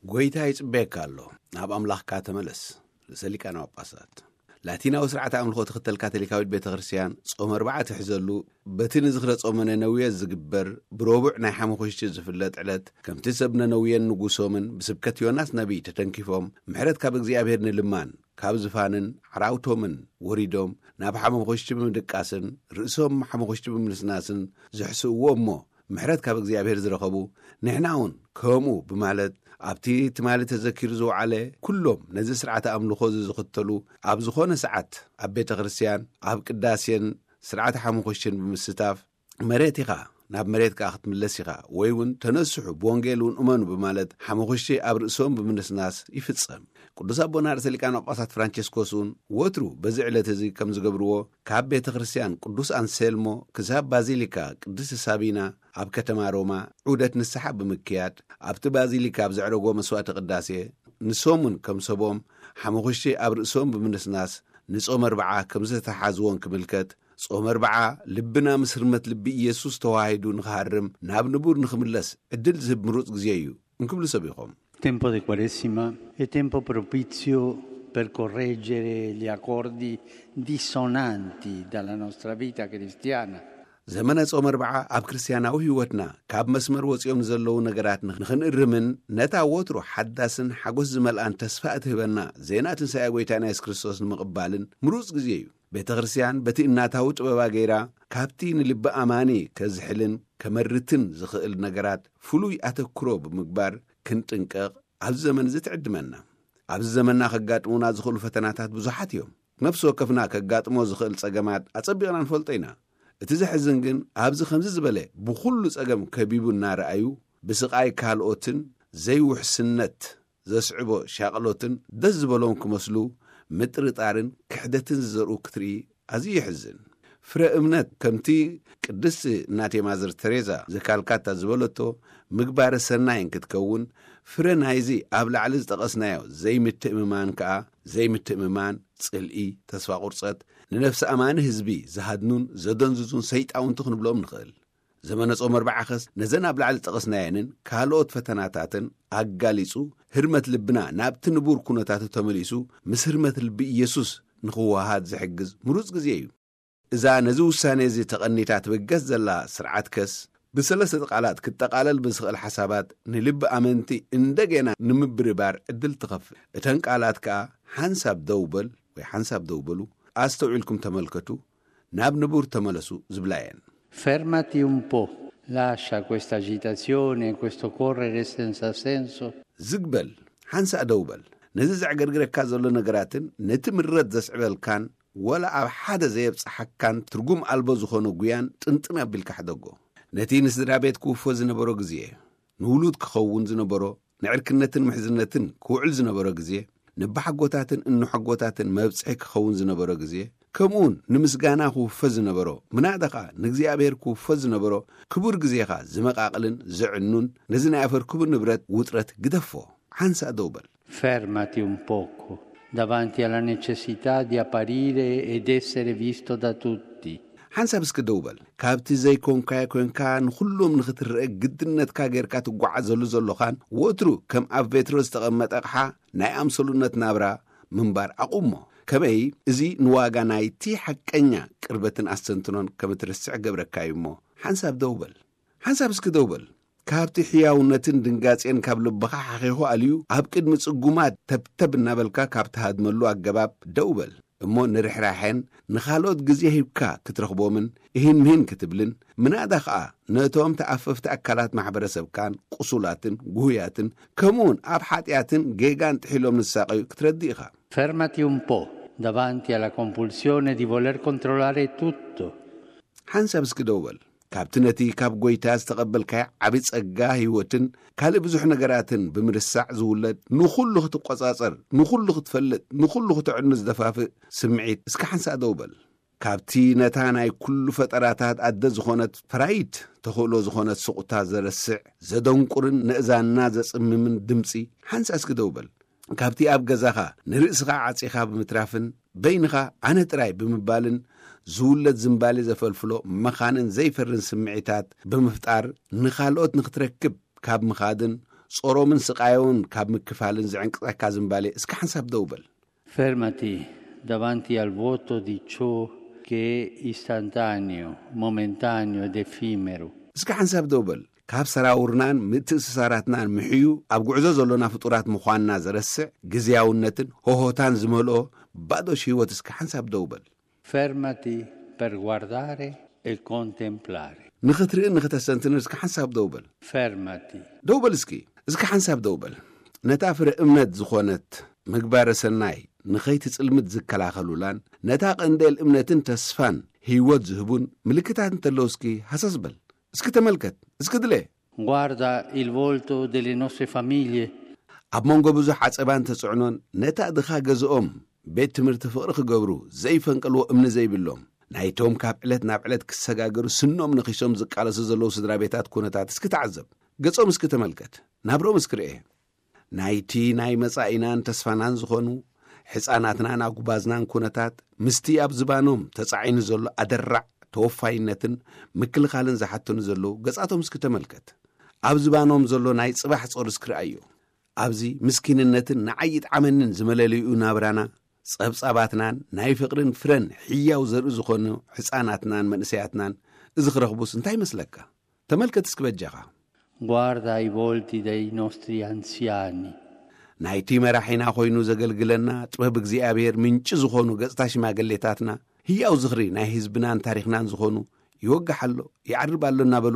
ጎይታ ይጽበየካ ኣሎ። ናብ ኣምላኽካ ተመለስ። ርእሰ ሊቃነ ጳጳሳት። ላቲናዊ ስርዓተ ኣምልኾ ትኽተል ካቶሊካዊት ቤተ ክርስቲያን ጾም ኣርብዓ ትሕዘሉ፣ በቲ ንዝኽረ ጾመ ነነውየ ዝግበር ብረቡዕ ናይ ሓሙኽሽቲ ዝፍለጥ ዕለት፣ ከምቲ ሰብ ነነውየን ንጉሶምን ብስብከት ዮናስ ነቢይ ተተንኪፎም ምሕረት ካብ እግዚኣብሔር ንልማን፣ ካብ ዝፋንን ዓራውቶምን ወሪዶም ናብ ሓሙኽሽቲ ብምድቃስን ርእሶም ሓሙኽሽቲ ብምንስናስን ዝሕስእዎ እሞ ምሕረት ካብ እግዚኣብሔር ዝረኸቡ፣ ንሕና እውን ከምኡ ብማለት ኣብቲ ትማሊ ተዘኪሩ ዝወዓለ ኩሎም ነዚ ስርዓተ ኣምልኾ እዚ ዝኽተሉ ኣብ ዝኾነ ሰዓት ኣብ ቤተ ክርስቲያን ኣብ ቅዳሴን ስርዓተ ሓሙኽሽትን ብምስታፍ መሬት ኢኻ፣ ናብ መሬት ከኣ ክትምለስ ኢኻ፣ ወይ እውን ተነስሑ ብወንጌል እውን እመኑ ብማለት ሓሙኽሽቲ ኣብ ርእሶም ብምንስናስ ይፍጸም። ቅዱስ ኣቦና ርእሰ ሊቃነ ጳጳሳት ፍራንቸስኮስ እውን ወትሩ በዚ ዕለት እዚ ከም ዝገብርዎ ካብ ቤተ ክርስቲያን ቅዱስ ኣንሴልሞ ክሳብ ባዚሊካ ቅድስቲ ሳቢና ኣብ ከተማ ሮማ ዑደት ንስሓ ብምክያድ ኣብቲ ባዚሊካ ኣብ ዘዕረጎ መስዋዕተ ቅዳሴ ንሶም እውን ከም ሰቦም ሓሙኽሽቲ ኣብ ርእሶም ብምንስናስ ንጾም ኣርብዓ ከም ዝተተሓዝዎን ክምልከት ጾም ኣርብዓ ልብና ምስ ህርመት ልቢ ኢየሱስ ተዋሂዱ ንኽሃርም ናብ ንቡር ንኽምለስ ዕድል ዝህብ ምሩጽ ግዜ እዩ እንክብሉ ሰቢኾም። Tempo di Quaresima è tempo propizio per correggere gli accordi dissonanti dalla nostra vita cristiana. ዘመነ ጾም ኣርብዓ ኣብ ክርስትያናዊ ህይወትና ካብ መስመር ወጺኦም ዘለዉ ነገራት ንኽንእርምን ነታ ወትሩ ሓዳስን ሓጎስ ዝመልኣን ተስፋ እትህበና ዜና ትንሳኤ ጎይታና የሱስ ክርስቶስ ንምቕባልን ምሩጽ ግዜ እዩ። ቤተ ክርስትያን በቲ እናታዊ ጥበባ ገይራ ካብቲ ንልቢ ኣማኒ ከዝሕልን ከመርትን ዝኽእል ነገራት ፍሉይ ኣተክሮ ብምግባር ክንጥንቀቕ ኣብዚ ዘመን እዚ ትዕድመና። ኣብዚ ዘመንና ከጋጥሙና ዝኽእሉ ፈተናታት ብዙሓት እዮም። ነፍሲ ወከፍና ከጋጥሞ ዝኽእል ጸገማት ኣጸቢቕና ንፈልጦ ኢና። እቲ ዘሕዝን ግን ኣብዚ ከምዚ ዝበለ ብኹሉ ጸገም ከቢቡ እናረኣዩ ብስቓይ ካልኦትን ዘይውሕስነት ዘስዕቦ ሻቕሎትን ደስ ዝበሎም ክመስሉ ምጥርጣርን ክሕደትን ዝዘርኡ ክትርኢ ኣዝዩ የሕዝን። ፍረ እምነት ከምቲ ቅድስቲ እናቴ ማዘር ተሬዛ ዘካልካታ ዝበለቶ ምግባረ ሰናይ እንክትከውን ፍረ ናይዚ ኣብ ላዕሊ ዝጠቐስናዮ ዘይምትእምማን ከኣ ዘይምትእምማን፣ ጽልኢ፣ ተስፋ ቁርጸት፣ ንነፍሲ ኣማኒ ህዝቢ ዝሃድኑን ዘደንዝዙን ሰይጣውንቲ ክንብሎም ንኽእል። ዘመነ ጾም ኣርብዓኸስ ነዘን ኣብ ላዕሊ ጠቐስናየንን ካልኦት ፈተናታትን ኣጋሊጹ ህርመት ልብና ናብቲ ንቡር ኩነታቱ ተመሊሱ ምስ ህርመት ልቢ ኢየሱስ ንኽወሃድ ዝሕግዝ ምሩጽ ግዜ እዩ። እዛ ነዚ ውሳኔ እዚ ተቐኒታ ትብገስ ዘላ ስርዓት ከስ ብሰለስተ ቃላት ክጠቓለል ብዝኽእል ሓሳባት ንልቢ ኣመንቲ እንደገና ንምብርባር ዕድል ትኸፍት። እተን ቃላት ከኣ ሓንሳብ ደው በል ወይ ሓንሳብ ደው በሉ፣ ኣስተውዒልኩም ተመልከቱ፣ ናብ ንቡር ተመለሱ ዝብላ እየን። Fermati un po', lascia questa agitazione, questo correre senza senso. ዝግበል ሓንሳእ ደው በል። ነዚ ዘዕገርግረካ ዘሎ ነገራትን ነቲ ምረት ዘስዕበልካን ወላ ኣብ ሓደ ዘየብጽሓካን ትርጉም ኣልቦ ዝኾነ ጉያን ጥንጥን ኣቢልካ ሕደጎ። ነቲ ንስድራ ቤት ክውፎ ዝነበሮ ግዜ፣ ንውሉድ ክኸውን ዝነበሮ፣ ንዕርክነትን ምሕዝነትን ክውዕል ዝነበሮ ግዜ፣ ንባሓጎታትን እንሓጎታትን መብጽሒ ክኸውን ዝነበሮ ግዜ፣ ከምኡውን ንምስጋና ክውፈ ዝነበሮ፣ ምናዳ ኸኣ ንእግዚኣብሔር ክውፈ ዝነበሮ ክቡር ግዜኻ ዝመቓቕልን ዘዕኑን፣ ነዚ ናይ ኣፈር ክቡር ንብረት ውጥረት ግደፎ። ሓንሳእ ደው በል። Fermati un poco davanti alla necessità di apparire ed essere visto da tutti. ሓንሳብ እስኪ ደው በል። ካብቲ ዘይኮንካዮ ኮንካ ንኹሎም ንኽትረአ ግድነትካ ጌርካ ትጓዓዘሉ ዘሎኻን ወትሩ ከም ኣብ ቬትሮ ዝተቐመጠ ኣቕሓ ናይ ኣምሰሉነት ናብራ ምንባር ኣቑሞ። ከመይ እዚ ንዋጋ ናይቲ ሓቀኛ ቅርበትን ኣስተንትኖን ከም እትርስዕ ገብረካ እዩ እሞ ሓንሳብ ደው በል። ሓንሳብ እስኪ ደው በል። ካብቲ ሕያውነትን ድንጋጼን ካብ ልብኻ ሓኺኹ ኣልዩ ኣብ ቅድሚ ጽጉማት ተብተብ እናበልካ ካብ ትሃድመሉ ኣገባብ ደው በል። እሞ ንርሕራሐን ንኻልኦት ግዜ ሂብካ ክትረኽቦምን እሂን ምሂን ክትብልን ምናዳ ኸኣ ነቶም ተኣፈፍቲ ኣካላት ማሕበረሰብካን ቁሱላትን ጉህያትን ከምኡውን ኣብ ሓጢኣትን ጌጋን ጥሒሎም ንሳቐዩ ክትረድእ ኢኻ። Fermati un po' davanti alla compulsione di voler controllare tutto. ሓንሳብ እስኪ ደው በል። ካብቲ ነቲ ካብ ጎይታ ዝተቐበልካዮ ዓቢ ጸጋ ህይወትን ካልእ ብዙሕ ነገራትን ብምርሳዕ ዝውለድ ንኹሉ ክትቆጻጸር፣ ንኹሉ ክትፈልጥ፣ ንኹሉ ክተዕኑ ዝደፋፍእ ስምዒት እስኪ ሓንሳእ ደው በል። ካብቲ ነታ ናይ ኩሉ ፈጠራታት ኣደ ዝኾነት ፈራይት ተኽእሎ ዝኾነት ስቑታ ዘረስዕ፣ ዘደንቁርን ነእዛንና ዘጽምምን ድምጺ ሓንሳእ እስኪ ደው በል። ካብቲ ኣብ ገዛኻ ንርእስኻ ዓጺኻ ብምትራፍን በይንኻ ኣነ ጥራይ ብምባልን ዝውለድ ዝንባሌ ዘፈልፍሎ መኻንን ዘይፈርን ስምዒታት ብምፍጣር ንኻልኦት ንኽትረክብ ካብ ምኻድን ጾሮምን ስቓዮምን ካብ ምክፋልን ዝዕንቅጸካ ዝምባሌ እስኪ ሓንሳብ ደው በል። Fermati davanti al vuoto di ciò che è istantaneo, momentaneo ed effimero. እስኪ ሓንሳብ ደው በል። ካብ ሰራውርናን ምትእስሳራትናን ምሕዩ ኣብ ጉዕዞ ዘሎና ፍጡራት ምዃንና ዘረስዕ ግዝያውነትን ሆሆታን ዝመልኦ ባዶ ሽህወት እስኪ ሓንሳብ ደው በል። Fermati per guardare e contemplare. ንኽትርእን ንኽተሰንትን እስኪ ሓንሳብ ደው በል። Fermati. ደው በል እስኪ። እስኪ ሓንሳብ ደው በል። ነታ ፍረ እምነት ዝኾነት ምግባረ ሰናይ ንኸይትጽልምት ዝከላኸሉላን ነታ ቀንዴል እምነትን ተስፋን ህይወት ዝህቡን ምልክታት እንተለዉ እስኪ ሃሰስ በል። እስኪ ተመልከት። እስኪ ድለ። Guarda il volto delle nostre famiglie. ኣብ መንጎ ብዙሕ ዓጸባን ተጽዕኖን ነታ ድኻ ገዝኦም ቤት ትምህርቲ ፍቕሪ ክገብሩ ዘይፈንቀልዎ እምኒ ዘይብሎም ናይቶም ካብ ዕለት ናብ ዕለት ክሰጋገሩ ስኖም ነኺሶም ዝቃለሱ ዘለዉ ስድራ ቤታት ኩነታት እስኪ ተዓዘብ። ገጾም እስኪ ተመልከት። ናብሮም እስኪ ርኤ። ናይቲ ናይ መጻኢናን ተስፋናን ዝኾኑ ሕፃናትናን ኣጉባዝናን ኩነታት ምስቲ ኣብ ዝባኖም ተጻዒኑ ዘሎ ኣደራዕ ተወፋይነትን ምክልኻልን ዝሓተኑ ዘለዉ ገጻቶም እስኪ ተመልከት። ኣብ ዝባኖም ዘሎ ናይ ጽባሕ ጾር እስኪ ርኣዮ። ኣብዚ ምስኪንነትን ንዓይ ይጥዓመንን ዝመለለይኡ ናብራና ጸብጻባትናን ናይ ፍቕርን ፍረን ሕያው ዘርኢ ዝኾኑ ሕፃናትናን መንእሰያትናን እዚ ክረኽቡስ እንታይ ይመስለካ? ተመልከት እስኪ በጃኻ። Guarda i volti dei nostri anziani. ናይቲ መራሒና ኮይኑ ዘገልግለና ጥበብ እግዚኣብሔር ምንጪ ዝኾኑ ገጽታ ሽማግሌታትና ህያው ዝኽሪ ናይ ህዝብናን ታሪኽናን ዝኾኑ ይወግሕ ኣሎ፣ ይዓርብ ኣሎ እናበሉ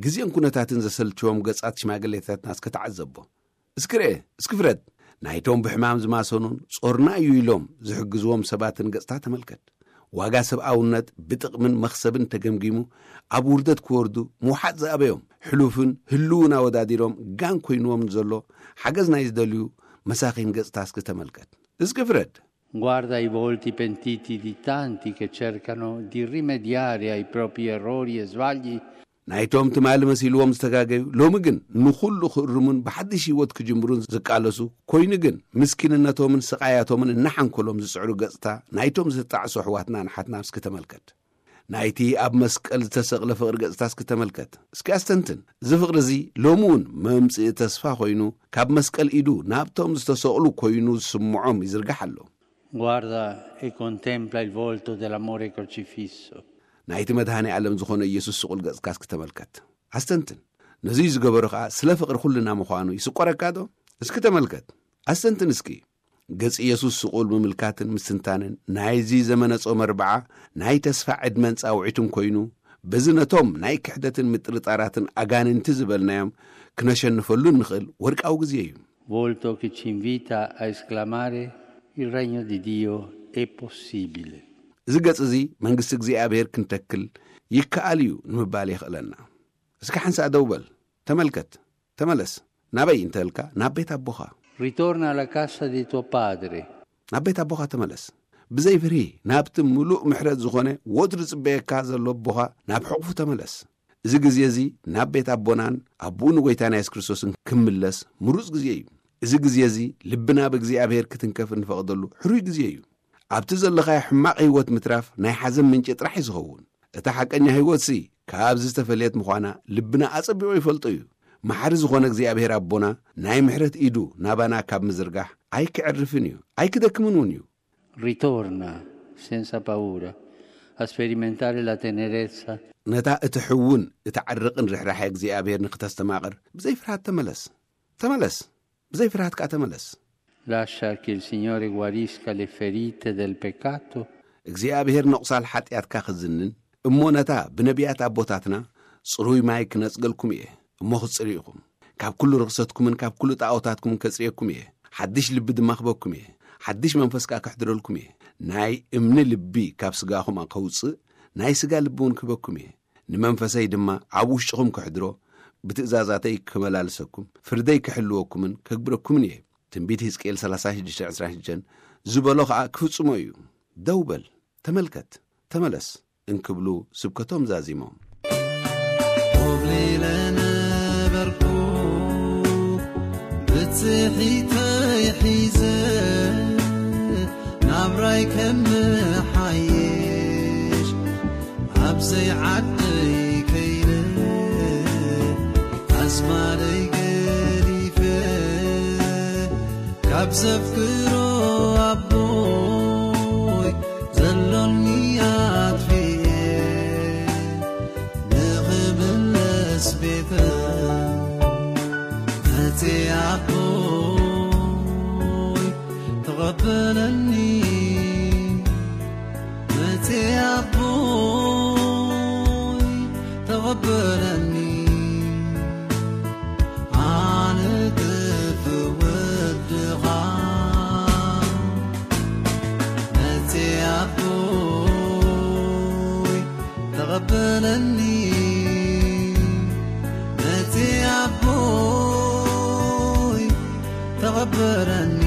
ግዜን ኩነታትን ዘሰልችዎም ገጻት ሽማግሌታትና እስኪ ተዓዘቦ። እስኪ ርኤ፣ እስኪ ፍረድ። ናይቶም ብሕማም ዝማሰኑን ጾርና እዩ ኢሎም ዝሕግዝዎም ሰባትን ገጽታ ተመልከት። ዋጋ ሰብኣውነት ብጥቕምን መኽሰብን ተገምጊሙ ኣብ ውርደት ክወርዱ ምውሓጥ ዝኣበዮም ሕሉፍን ህልውን ኣወዳዲሮም ጋን ኮይንዎም ዘሎ ሓገዝ ናይ ዝደልዩ መሳኺን ገጽታ እስኪ ተመልከት። እስኪ ፍረድ። Guarda i volti pentiti di tanti che cercano di rimediare ai propri errori e sbagli. ናይቶም ትማሊ መሲልዎም ዝተጋገዩ ሎሚ ግን ንኹሉ ክእርሙን ብሓድሽ ህይወት ክጅምሩን ዝቃለሱ ኮይኑ ግን ምስኪንነቶምን ስቓያቶምን እናሓንኮሎም ዝጽዕሩ ገጽታ ናይቶም ዝተጣዕሱ ኣሕዋትና ንሓትና እስኪ ተመልከት። ናይቲ ኣብ መስቀል ዝተሰቕለ ፍቕሪ ገጽታ እስኪ ተመልከት። እስኪ ኣስተንትን። እዚ ፍቕሪ እዚ ሎሚ እውን መምጽኢ ተስፋ ኮይኑ ካብ መስቀል ኢዱ ናብቶም ዝተሰቕሉ ኮይኑ ዝስምዖም ይዝርጋሕ ኣሎ። Guarda e contempla il volto dell'amore crocifisso. ናይቲ መድኃኔ ዓለም ዝኾነ ኢየሱስ ስቑል ገጽካ እስኪ ተመልከት። ኣስተንትን። ነዙይ ዝገበሩ ኸዓ ስለ ፍቕሪ ኩልና ምዃኑ ይስቆረካ ዶ? እስኪ ተመልከት። ኣስተንትን እስኪ። ገጽ ኢየሱስ ስቑል ምምልካትን ምስትንታንን ናይዚ ዘመነ ጾመ ኣርብዓ ናይ ተስፋ ዕድመን ጻውዒትን ኮይኑ፣ በዚ ነቶም ናይ ክሕደትን ምጥርጣራትን ኣጋንንቲ ዝበልናዮም ክነሸንፈሉ እንኽእል ወርቃዊ ግዜ እዩ። Volto che ci invita a esclamare: il regno di Dio è possibile. እዚ ገጽ እዚ መንግስቲ እግዚኣብሔር ክንተክል ይከኣል እዩ ንምባል የኽእለና። እስኪ ሓንሳእ ደው በል፣ ተመልከት፣ ተመለስ። ናበይ እንተልካ ናብ ቤት ኣቦኻ። Ritorna alla casa di tuo padre. ናብ ቤት ኣቦኻ ተመለስ። ብዘይ ፍርሂ ናብቲ ምሉእ ምሕረት ዝኾነ ወትሩ ዝጽበየካ ዘሎ ኣቦኻ ናብ ሕቑፉ ተመለስ። እዚ ግዜ እዚ ናብ ቤት ኣቦናን ኣቦኡ ንጎይታና የሱስ ክርስቶስን ክምለስ ምሩጽ ግዜ እዩ። እዚ ግዜ እዚ ልብና ብእግዚኣብሔር ክትንከፍ እንፈቕደሉ ሕሩይ ግዜ እዩ። ኣብቲ ዘለኻዮ ሕማቕ ህይወት ምትራፍ ናይ ሓዘን ምንጪ ጥራሕ እዩ ዝኸውን። እታ ሓቀኛ ህይወትሲ ካብዚ ዝተፈልየት ምዃና ልብና ኣጸቢቑ ይፈልጦ እዩ። መሓሪ ዝኾነ እግዚኣብሔር ኣቦና ናይ ምሕረት ኢዱ ናባና ካብ ምዝርጋሕ ኣይክዕርፍን እዩ፣ ኣይክደክምን እውን እዩ። Ritorna senza paura a sperimentare la tenerezza. ነታ እትሕውን እትዓርቕን ርሕራሐ እግዚኣብሔር ንክተስተማቕር ብዘይ ፍርሃት ተመለስ። ተመለስ። ብዘይ ፍርሃት ከኣ ተመለስ። Lascia che il Signore guarisca le ferite del peccato. እግዚኣብሔር ነቑሳል ሓጢኣትካ ክዝንን እሞ ነታ ብነቢያት ኣቦታትና ጽሩይ ማይ ክነጽገልኩም እየ እሞ ክትጽርዩ ኢኹም። ካብ ኩሉ ርኽሰትኩምን ካብ ኩሉ ጣዖታትኩምን ከጽርየኩም እየ። ሓድሽ ልቢ ድማ ክበኩም እየ። ሓድሽ መንፈስ ከኣ ከሕድረልኩም እየ። ናይ እምኒ ልቢ ካብ ስጋኹም ከውጽእ ናይ ስጋ ልቢ እውን ክህበኩም እየ። ንመንፈሰይ ድማ ኣብ ውሽጥኹም ከሕድሮ ብትእዛዛተይ ክመላልሰኩም ፍርደይ ክሕልወኩምን ከግብረኩምን እየ። ትንቢት ሕዝቅኤል ሰላሳ ሽዱሽተ ዕስራን ሽዱሽተን ዝበሎ ኸኣ ክፍጽሞ እዩ። ደው በል፣ ተመልከት፣ ተመለስ እንክብሉ ስብከቶም ዛዚሞም። ኮብሊለ ነበርኩ ብጽሒተይ ሒዘ ናብራይ ከመሓይሽ ኣብዘይ ዓደይ ከይነ ኣዝማደይ ገዲፈ ዘፍቅሮ ኣቦይ ዘሎኒ ኣጥፊኤ ንኽምለስ ቤተ መጽ ኣቦይ ተቐበለኒ። መጽ ኣቦይ ተቐበለኒ። ኣነ ጥፍእ ወድኻ መጽ ኣቦይ ተቐበለኒ። መጽ ኣቦይ ተቐበለኒ።